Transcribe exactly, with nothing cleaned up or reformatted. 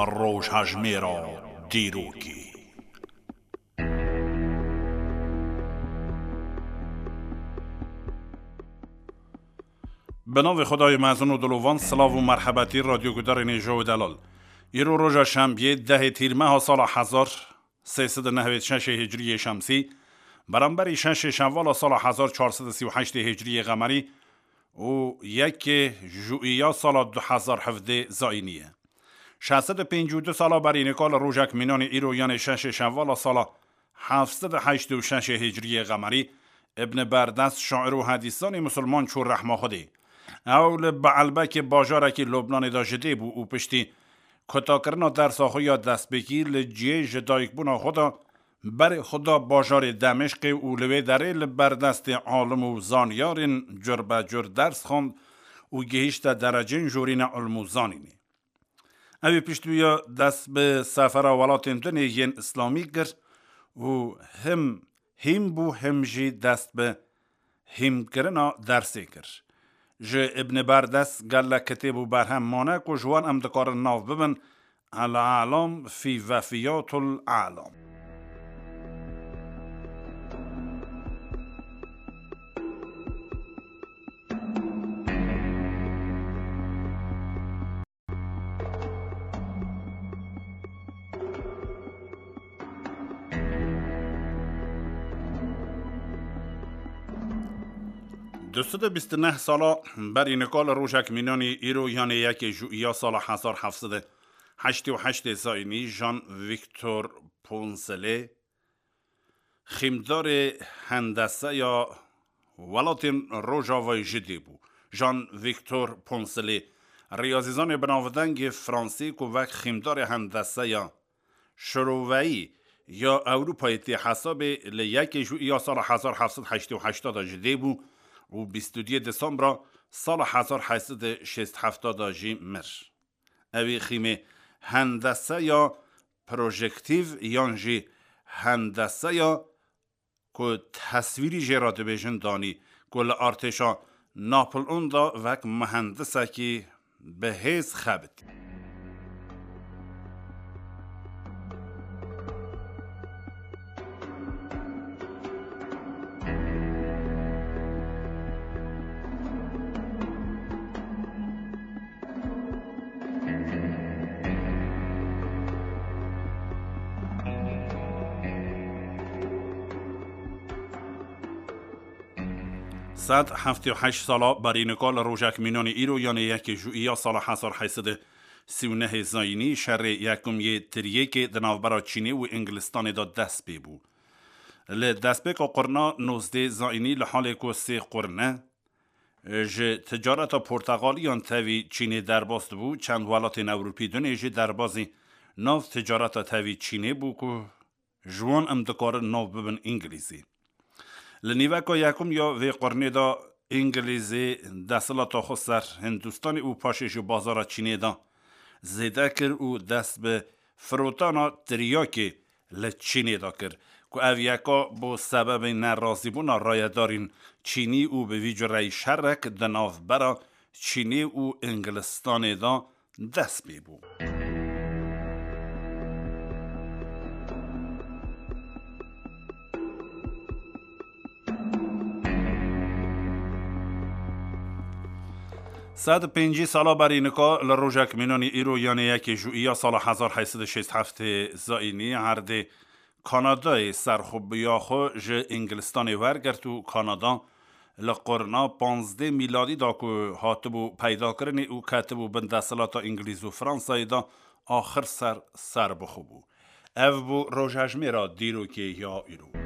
Rojhejmêra dîrokê. Bi navê Xwedayê mezin û dilovan, silav û merhebetî radyogudarên hêja û delal. Îro roja şembiyê, dehê tîrmeha sala hezar sê sed û nehwêd şeşê hicriyê şemsî, beramberî şeşê şevala sala hezar çar sed û sî û heştê hicriyê qemerî û yekê jûiya sala du hezar hevdê zayînî ye. Şeş sed û pêncî û du sala berî nika li rojek mînanê îro, yanê şeşê şevala sala heft sed û heştê û şeşê hicriyê qemerî, Ibn Berdest, şair û hedîsanê misilman çû rehma Xwedê. Ew li Beelbekê, bajarekî Lubnanê de ji dê bû û piştî kutakirina dersa xwe ya destpêkî li cihê ji dayikbûna xwe de berê xwe da bajarê Demişqê û li wê derê li ber destê alim û zanyarên curbecur ders xwend û gihîşte derecên jorîne ilm û zanînê. Ew ê piştî wî ya dest bi sefera welatên dinê yên îslamî kir û him hîm bû, him jî dest bi hîmkirina dersê kir. Ji Ibn Berdest gelek kitêb û berhem mane ku ji wan em dikarin nav bibin: El Alam fî Vefiyatul Alam. Du sed û bîst û neh sala berî nika li rojek mînanî îro, yanê yekê jûiya sala hezar heft sed û heştê û heştê zayînî, Jean Victor Poncelet, xîmdarê hendeseya welatên Rojavayê ji dê bû. Jean Victor Poncelet, riyazîzanê binavdengê Fransî ku wek xîmdarê hendeseya şiroveyî ya Ewropayê tê hesabê, li yekê jûiya sala hezar heft sed heştê û heşt de ji dê bû û bîst û duyê Desembra sala hezar heyt sed û şêst û heft de jî mir. Ew ê xîmê hendeseya projektîv yan jî hendeseya ku teswîrî jê re dibêjin danî, ku li artêşa Napleon de wek muhendisekî bi hêz xebitî. Sed heftê û heşt sala berî nika li rojek mînanê îro, yanê yekê jûiya sala hezar heyt sed û sî û nehê zayînî, şerê yekum yê tiriyêkê di navbera Çînê û Îngilistanê de dest pê bû. Li destpêka qurna nozdê zayînî, li halê ku sê qurne ji ticareta porteqaliyan tevî Çînê derbas dibû, çend welatên Ewropî dinê jî derbazî nav ticareta tevî Çînê bû ku ji wan em dikarin nav bibin Îngilîzî. Li nîveka yekum ya vê qurnê de Îngilîzî desthilata xwe ser Hindistanê û paşê ji bazara Çînê de zêde kir û dest bi firotana tiryakê li Çînê de kir, ku ev yeka bo sebebê nerazîbûna rayedarên Çînî û bi vî cureyî şerek di navbera Çînê û Îngilistanê de dest pê bû. Sed û pêncî sala berî nika li rojek mînanî îro, yanê yekê jûiya sala hezar heyt sed û şêst heftê zayînî, erdê Kanadayê serxwebiya xwe ji Îngilistanê wergirt û Kanada li qurna panzdeh mîladî de ku hatibû peydakirinê û ketibû bin desthilata Îngilîz û Fransayê de, axir ser serbixwe bû. Ev bû rojhejmêra dîrokê ya îro.